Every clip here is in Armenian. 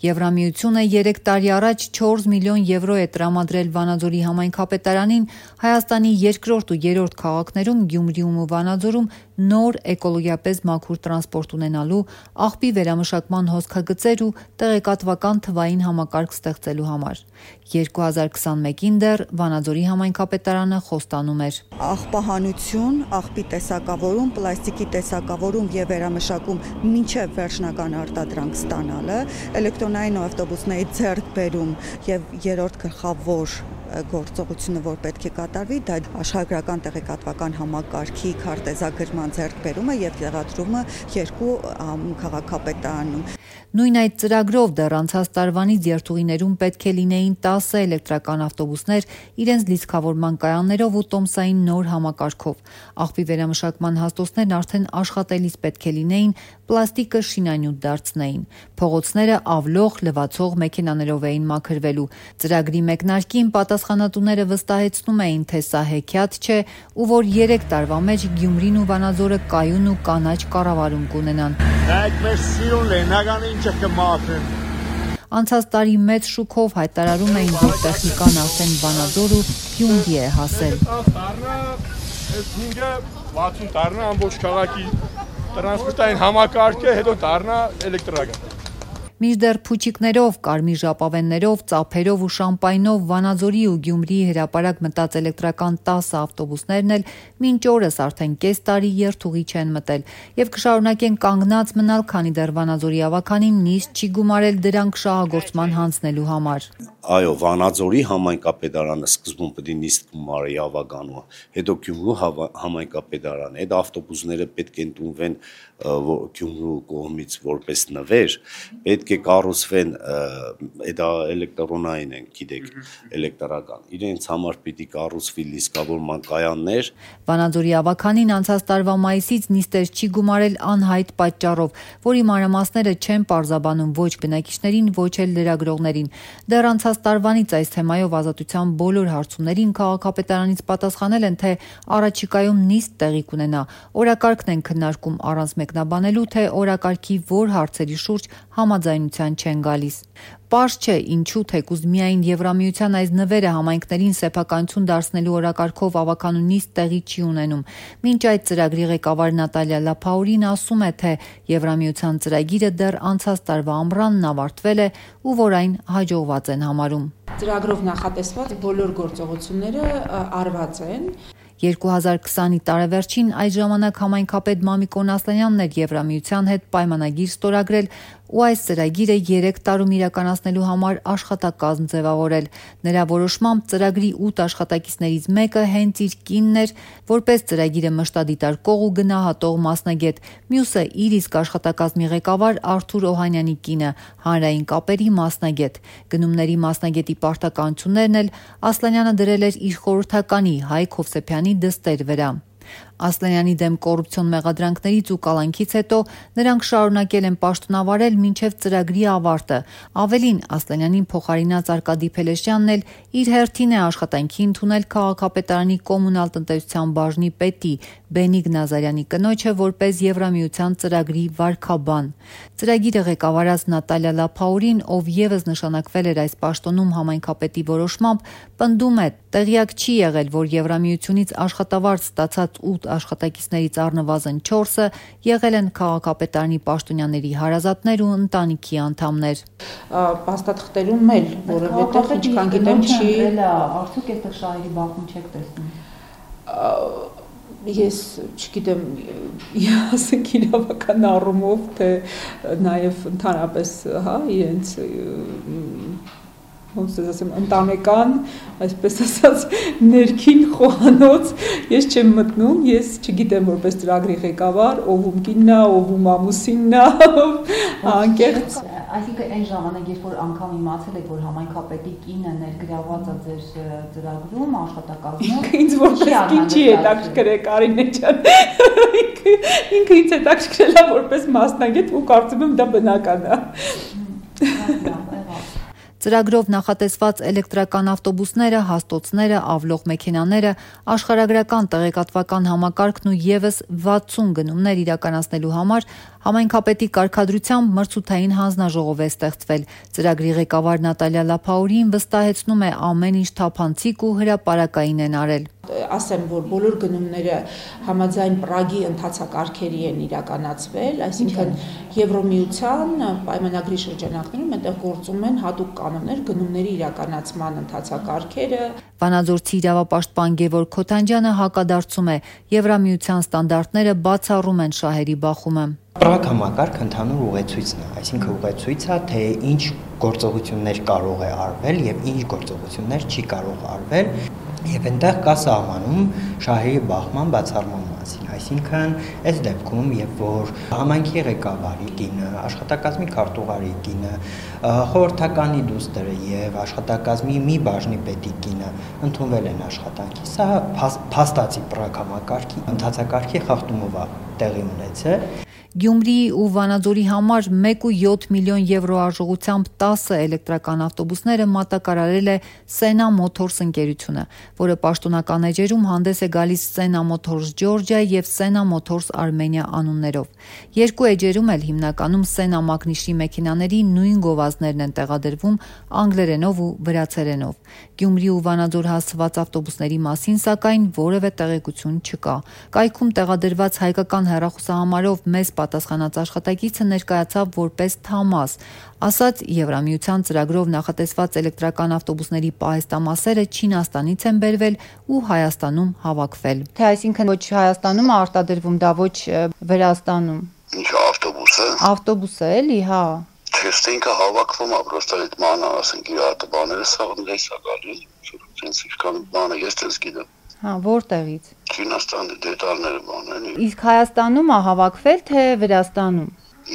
Եվրամիությունը 3 տարի առաջ 4 միլիոն եվրո է տրամադրել Վանաձորի համայնքապետարանին Հայաստանի երկրորդ ու երրորդ քաղաքներում Գյումրիում ու Վանաձորում նոր էկոլոգիապես մաքուր տրանսպորտ ունենալու, աղբի վերամշակման հոսքագծեր ու տեղեկատվական թվային համակարգ ստեղծելու համար։ 2021-ին դեռ Վանաձորի համայնքապետարանը խոստանում էր. Աղբահանություն, աղբի տեսակավորում, պլաստիկի տեսակավորում եւ վերամշակում մինչեւ վերջնական արտադրանք ստանալը, էլեկտրոնային ավտոբուսների ձեռքբերում եւ երրորդ գլխավոր գործողությունը, որ պետք է կատարվի, դա աշխարհագրական տեղեկատվական համակարգի քարտեզագրման ձեռքբերումը եւ տեղադրումը երկու քաղաքապետարանում։ Նույն այդ ծրագրով դեռ անցած տարվանից երթուղիներում պետք է լինեին 10 էլեկտրական ավտոբուսներ իրենց լիցքավորման կայաններով ու տոմսային նոր համակարգով։ Աղբի վերամշակման հաստոցներն արդեն աշխատելիս պետք է լինեին, պլաստիկը շինանյութ դարձնեին։ Փողոցները ավլող, լվացող մեքենաներով էին մաքրվելու։ Ծրագրի մեկնարկին պատասխանատուները վստահեցնում էին, թե սա հեքիաթ չէ ու որ 3 տարվա մեջ Գյումրին ու Վանաձորը կայուն ու կանաչ կառավարում կունենան։ Անցած տարի մեծ շուկով հայտարարում էին, որ տեխնիկան արդեն Վանաձոր ու Գյումրի է հասել։ ամբողջ քաղաքի տրանսպորտային համակարգը, հետո դառնա էլեկտրական։ Մինչդեռ փուչիկներով, կարմիր ժապավեններով, ծափերով ու շամպայնով Վանաձորի ու Գյումրիի հրապարակ մտած էլեկտրական 10 ավտոբուսներն էլ մինչ օրս արդեն կես տարի երթուղի չեն մտել եւ կշարունակեն կանգնած մնալ, քանի դեռ Վանաձորի ավականին նիստ չի գումարել դրանք շահագործման հանձնելու համար։ Այո, Վանաձորի համայնքապետարանը սկզբում պետք է նիստ գումարի ավականումը, հետո Գյումրու համայնքապետարանը, այդ ավտոբուսները պետք է ընդունվեն Գյումրու կողմից որպես նվեր, պետք է կառուցվեն, դա էլեկտրոնային են, գիտեք, էլեկտրական։ Իրենց համար պիտի կառուցվի լիցքավորման կայաններ։ Վանաձորի ավականին անցած տարվա մայիսից նիստեր չի գումարել անհայտ պատճառով, որի մանրամասները չեն պարզաբանում ոչ բնակիչներին, ոչ էլ լրագրողներին։ Դեռ անցած տարվանից այս թեմայով Ազատության բոլոր հարցումներին քաղաքապետարանից պատասխանել են, թե առաջիկայում նիստ տեղի կունենա։ Օրակարգն են քննարկում առանց մեկնաբանելու, թե օրակարգի որ հարցերի շուրջ համաձայնության չեն գալիս։ Պարզ չէ ինչու թեկուզ միայն Եվրամիության այս նվերը համայնքներին սեփականություն դարձնելու օրակարգով ավականու նիստ տեղի չի ունենում։ Մինչ այդ ծրագրի ղեկավար Նատալիա Լափաուրին ասում է, թե Եվրամիության ծրագիրը դեռ անցած տարվա ամռանն ավարտվել է ու որ այն հաջողված են համարում։ Ծրագրով նախատեսված բոլոր գործողությունները արված են։ 2020-ի տարեվերջին այդ ժամանակ համայնքապետ Մամիկոն Ասլանյանն էր Եվրամիության հետ պայմանագիր ստորագրել ու այս ծրագիրը 3 տարում իրականացնելու համար աշխատակազմ ձևավորել։ Նրա որոշմամբ ծրագրի 8 աշխատակիցներից մեկը հենց իր կինն էր, որպես ծրագիրը մշտադիտարկող ու գնահատող մասնագետ, մյուսը իր իսկ աշխատակազմի ղեկավար Արթուր Օհանյանի կինը, հանրային կապերի մասնագետ։ Գնումների մասնագետի պարտականություններն էլ Ասլանյանը դրել էր իր խորհրդականի Հայկ Հովսեփյանի դստեր վրա։ Ասլանյանի դեմ կոռուպցիոն մեղադրանքներից ու կալանքից հետո նրանք շարունակել են պաշտոնավարել մինչև ծրագրի ավարտը։ Ավելին, Ասլանյանին փոխարինած Արկադի Փելեշյանն էլ իր հերթին է աշխատանքի ընդունել քաղաքապետարանի կոմունալ տնտեսության բաժնի պետի Բենիգ Նազարյանի կնոջը որպես Եվրամիության ծրագրի վարքաբան։ Ծրագիրը ղեկավարած Նատալիա Լափաուրին, ով եւս նշանակվել էր այս պաշտոնում համայնքապետի որոշմամբ, պնդում է, տեղյակ չի եղել, որ Եվրամիությունից աշխատավարձ ստացած 8 աշխատակիցներից առնվազն 4-ը եղել են քաղաքապետարանի պաշտոնյաների հարազատներ ու ընտանիքի անդամներ։ Փաստաթղթերում էլ որևէ ինչքան գիտեմ չի արդյոք այստեղ շահերի բախում չեք տեսնում։ Ես չգիտեմ, ասենք իրավական առումով, թե նաև ընդհանրապես, իրենց ոնց ասեմ, ընտանեկան, այսպես ասած, ներքին խոհանոց ես չեմ մտնում, ես չգիտեմ որպես ծրագրի ղեկավար, ով ում կինն է, ով ում ամուսինն է, անկեղծ։ Այսինքն այն ժամանակ, երբ որ անգամ իմացել եք, որ համայնքապետի կինը ներգրավված է ձեր ծրագրում, աշխատակազմում, ինձ որպես կին չի հետաքրքրել Կարինե ջան։ Ինքը ինձ հետաքրքրել է որպես մասնագետ ու կարծում եմ դա բնական է։ Ծրագրով նախատեսված էլեկտրական ավտոբուսները, հաստոցները, ավլող մեքենաները, աշխարհագրական տեղեկատվական համակարգն ու ևս 60 գնումներ իրականացնելու համար համայնքապետի կարգադրությամբ մրցութային հանձնաժողով է ստեղծվել։ Ծրագրի ղեկավար Նատալիա Լափաուրին վստահեցնում է ամեն ինչ թափանցիկ ու հրապարակային են արել։ Ասեմ, որ բոլոր գնումները համաձայն Պրագի ընթացակարգերի են իրականացվել, այսինքն Եվրոմիության պայմանագրի շրջանակներում այնտեղ գործում են հատուկ կանոններ գնումների իրականացման ընթացակարգերը։ Վանաձորցի իրավապաշտպան Գևորգ Քոթանջյանը հակադարձում է, Եվրամիության ստանդարտները բացառում են շահերի բախումը։ Պրագ համակարգ ընդհանուր ուղեցույցն է, այսինքն ուղեցույցը, թե ինչ գործողություններ կարող է արվել եւ ինչ գործողություններ չի կարող արվել, եւ այնտեղ կա սահմանում շահերի բախման բացառման մասին, այսինքն այս դեպքում, երբ որ համայնքի ղեկավարի կինը, աշխատակազմի քարտուղարի կինը, խորհրդականի դուստրը եւ աշխատակազմի մի բաժնի պետի կինը ընդունվել են աշխատանքի, սա փաստացի Պրագ համակարգի ընթացակարգի խախտումով է տեղի ունեցել։ Գյումրիի ու Վանաձորի համար 1.7 միլիոն եվրո արժողությամբ 10 էլեկտրական ավտոբուսները մատակարարել է Sena Motors ընկերությունը, որը պաշտոնական էջերում հանդես է գալիս Sena Motors Georgia եւ Sena Motors Armenia անուններով։ Երկու էջերում էլ հիմնականում Sena մագնիշի մեքենաների նույն գովազդներն են տեղադրվում անգլերենով ու վրացերենով։ Գյումրի ու Վանաձոր հասցված ավտոբուսների մասին սակայն որևէ տեղեկություն չկա։ Կայքում տեղադրված հայկական հեռախոսահամարով մեծ պատասխանած աշխատակիցը ներկայացավ որպես Թամաս, ասաց Եվրամիության ծրագրով նախատեսված էլեկտրական ավտոբուսների պահեստամասերը Չինաստանից են բերվել ու Հայաստանում հավաքվել։ Թե այսինքն ոչ Հայաստանում է արտադրվում, դա ոչ Վրաստանում։ Ինչ ավտոբուսը։ Ավտոբուսը էլի, հա։ Թեստինքը հավաքվում է, պրոստը այդ մանա, ասենք իր արտաբաները սաղն դես է գալի, ցենց ինչքան բանը ես դες գիտեմ։ Հա, որտեղից։ Չինաստանի դետալները բանեն։ Իսկ Հայաստանում է հավաքվել, թե Վրաստանում։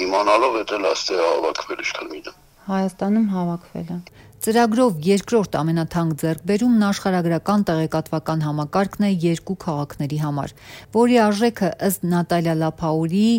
Իմանալով էտել աստե հավաքվել ինչքան գիտեմ։ Հայաստանում հավաքվել է։ Ծրագրով երկրորդ ամենաթանկ ձեռքբերումն աշխարհագրական տեղեկատվական համակարգն է երկու քաղաքների համար, որի արժեքը ըստ Նատալիա Լափաուրիի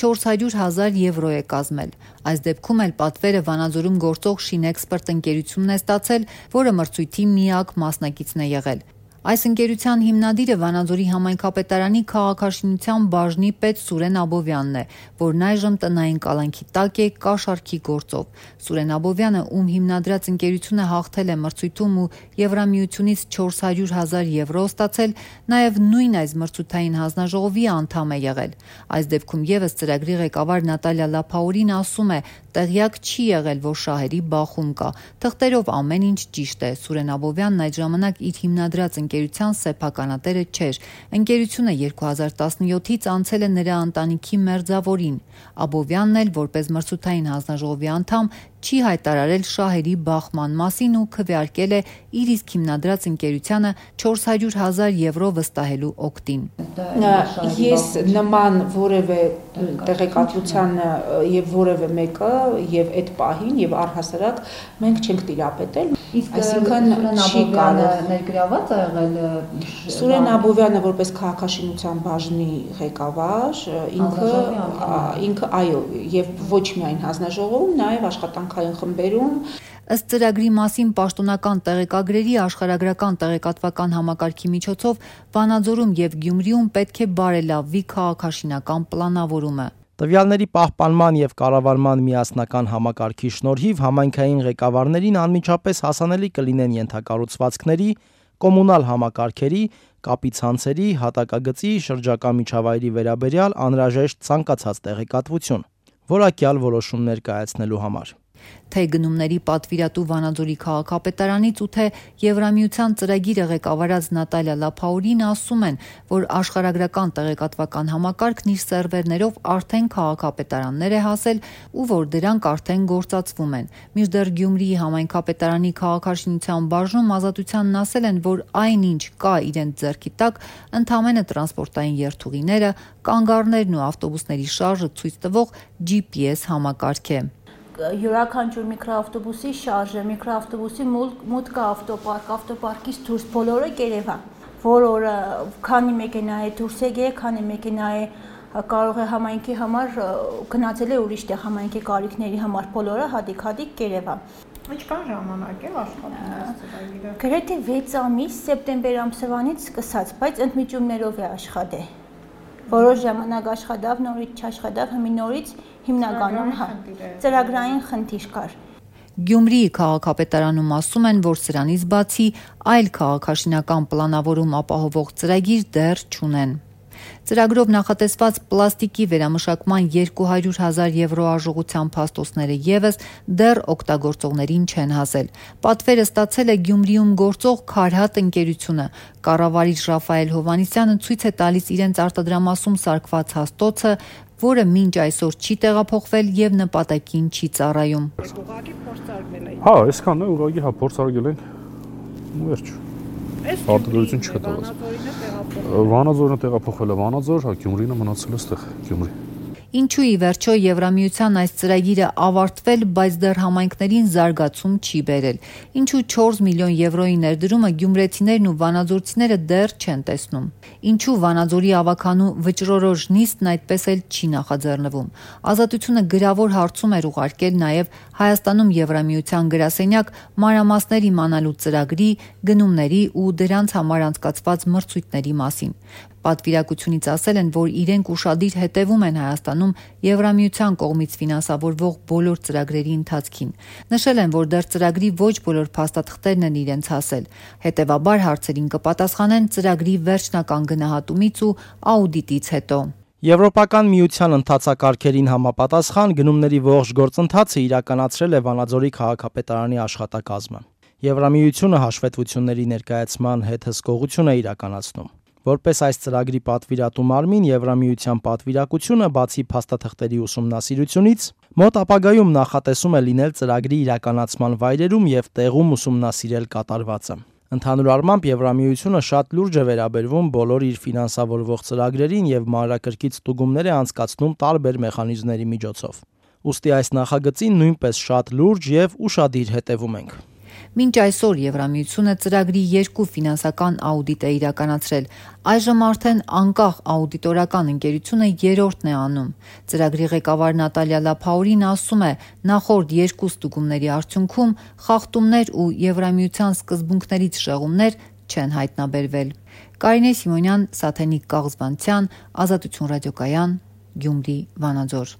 400,000 եվրո է կազմել։ Այս դեպքում էլ պատվերը Վանաձորում գործող Շինեքսպերտ ընկերությունն է ստացել, որը մրցույթի միակ մասնակիցն է եղել։ Այս ընկերության հիմնադիրը Վանաձորի համայնքապետարանի քաղաքաշինության բաժնի պետ Սուրեն Աբովյանն է, որն այժմ տնային կալանքի տակ է կաշառքի գործով։ Սուրեն Աբովյանը, ում հիմնադրած ընկերությունը հաղթել է մրցույթում ու Եվրամիությունից 400,000 եվրո ստացել, նաև նույն այս մրցութային հանձնաժողովի անդամ է եղել։ Այս դեպքում եւս ծրագրի ղեկավար Նատալիա Լափաուրին ասում է, տեղյակ չի եղել, որ շահերի բախում կա։ Թղթերով ամեն ինչ ճիշտ է։ Սուրեն Աբովյանն այդ ժամանակ իր հիմնադրած ընկերության սեփականատերը չէր։ Ընկերությունը 2017-ից անցել է նրա ընտանիքի մերձավորին։ Աբովյանն էլ որպես մրցութային հանձնաժողովի անդամ չի հայտարարել շահերի բախման մասին ու քվեարկել է իր իսկ հիմնադրած ընկերությանը 400,000 եվրո վստահելու օգտին։ Ես նման որևէ տեղեկատվության եւ որևէ մեկը եւ այդ պահին եւ առհասարակ մենք չենք տիրապետել, այսինքն չի կարող ներգրաված ա եղել Սուրեն Աբովյանը որպես քաղաքաշինության բաժնի ղեկավար, ինքը այո, եւ ոչ միայն հանձնաժողովում, նաեւ աշխատանքային խմբերում։ Ըստ ծրագրի մասին պաշտոնական տեղեկագրերի աշխարհագրական տեղեկատվական համակարգի միջոցով Վանաձորում եւ Գյումրիում պետք է բարելավվի քաղաքաշինական պլանավորումը։ Տվյալների պահպանման եւ կառավարման միասնական համակարգի շնորհիվ համայնքային ղեկավարներին անմիջապես հասանելի կլինեն ենթակառուցվածքների, կոմունալ համակարգերի, կապի ցանցերի, հատակագծի, շրջակա միջավայրի վերաբերյալ անհրաժեշտ ցանկացած տեղեկատվություն, որակյալ որոշումներ կայացնելու համար։ Թե գնումների պատվիրատու Վանաձորի քաղաքապետարանից ու թե Եվրամիության ծրագիրը ղեկավարած Նատալիա Լափաուրին ասում են, որ աշխարհագրական տեղեկատվական համակարգն իր սերվերներով արդեն քաղաքապետարաններ է հասել ու որ դրանք արդեն գործածվում են։ Մինչդեռ Գյումրիի համայնքապետարանի քաղաքաշինության բաժնում Ազատությանն ասել են, որ այնինչ կա իրենց ձեռքի տակ ընդամենը տրանսպորտային երթուղիները, կանգառներն ու ավտոբուսների շարժը ցույց տվող GPS համակարգ է։ Յուրաքանչյուր միկրոավտոբուսի շարժը, միկրոավտոբուսի մուտքը ավտոպարկից դուրս բոլորը կերևա, որ օրը քանի մեքենա է դուրս եկել, քանի մեքենա է կարող է համայնքի համար գնացել է ուրիշ տեղ համայնքի կարիքների համար բոլորը հատիկ կերևա։ Ինչքան ժամանակ է աշխատում այս ծրագիրը։ Գրեթե 6 ամիս սեպտեմբեր ամսվանից սկսած, բայց ընդմիջումներով է աշխատել։ Որոշ ժամանակ աշխատավ, նորից չաշխատավ, հիմա նորից հիմնականում ծրագրային խնդիր կար։ Գյումրիի քաղաքապետարանում ասում են, որ սրանից բացի այլ քաղաքաշինական պլանավորում ապահովող ծրագիր դեռ չունեն։ Ծրագրով նախատեսված պլաստիկի վերամշակման 200,000 եվրո արժողության փաստոցները ևս դեռ օգտագործողներին չեն հասել։ Պատվերը ստացել է Գյումրիում գործող Քարհատ ընկերությունը։ Կառավարիչ Ռաֆայել Հովհաննիսյանը ցույց է տալիս իրենց արտադրամասում սարքված հաստոցը, որը մինչ այսօր չի տեղափոխվել եւ նպատակին չի ծառայում։ Ուղղակի փորձարկվել է։ Հա, այսքանն է, ուղղակի փորձարկել ենք։ Ու վերջ։ Արտադրություն չկա։ Վանաձորն է տեղափոխվել է Վանաձոր, հա Գյումրին է մնացել այստեղ, Գյումրի։ Ինչու ի վերջո Եվրամիության այս ծրագիրը ավարտվել, բայց դեռ համայնքներին զարգացում չի բերել։ Ինչու 4 միլիոն եվրոյի ներդրումը գյումրեցիներն ու վանաձորցիները դեռ չեն տեսնում։ Ինչու Վանաձորի ավականու վճռորոշ նիստն այդպես էլ չի նախաձեռնվում։ Ազատությունը գրավոր հարցում էր ուղարկել նաև Հայաստանում Եվրամիության գրասենյակ մանրամասներ իմանալու ծրագրի, գնումների ու դրանց համար անցկացված մրցույթների մասին։ Պատվիրակությունից ասել են, որ իրենք ուշադիր հետևում են Հայաստանում Եվրամիության կողմից ֆինանսավորվող բոլոր ծրագրերի ընթացքին։ Նշել են, որ դեռ ծրագրի ոչ բոլոր փաստաթղթերն են իրենց հասել։ Հետևաբար հարցերին կպատասխանեն ծրագրի վերջնական գնահատումից ու աուդիտից հետո։ Եվրոպական միության ընթացակարգերին համապատասխան գնումների ողջ գործընթացը իրականացրել է Վանաձորի քաղաքապետարանի աշխատակազմը։ Եվրամիությունը հաշվետվությունների ներկայացման հետ հսկողություն է իրականացնում։ Որպես այս ծրագրի պատվիրատու մարմին Եվրամիության պատվիրակությունը բացի փաստաթղթերի ուսումնասիրությունից մոտ ապագայում նախատեսում է լինել ծրագրի իրականացման վայրերում եւ տեղում ուսումնասիրել կատարվածը։ Ընդհանուր առմամբ Եվրամիությունը շատ լուրջ է վերաբերվում բոլոր իր ֆինանսավորվող ծրագրերին եւ մանրակրկիտ ստուգումներ է անցկացնում տարբեր մեխանիզմների միջոցով։ Ուստի այս նախագծին նույնպես շատ լուրջ եւ ուշադիր հետևում ենք։ Մինչ այսօր Եվրամիությունը ծրագրի 2 ֆինանսական աուդիտ է իրականացրել, այժմ արդեն անկախ աուդիտորական ընկերությունը 3-րդն է անում։ Ծրագրի ղեկավար Նատալիա Լափաուրին ասում է, նախորդ 2 ստուգումների արդյունքում խախտումներ ու Եվրամիության սկզբունքներից շեղումներ չեն հայտնաբերվել։ Կարինե Սիմոնյան, Սաթենիկ Կաղզվանցյան, Ազատություն ռադիոկայան, Գյումրի, Վանաձոր։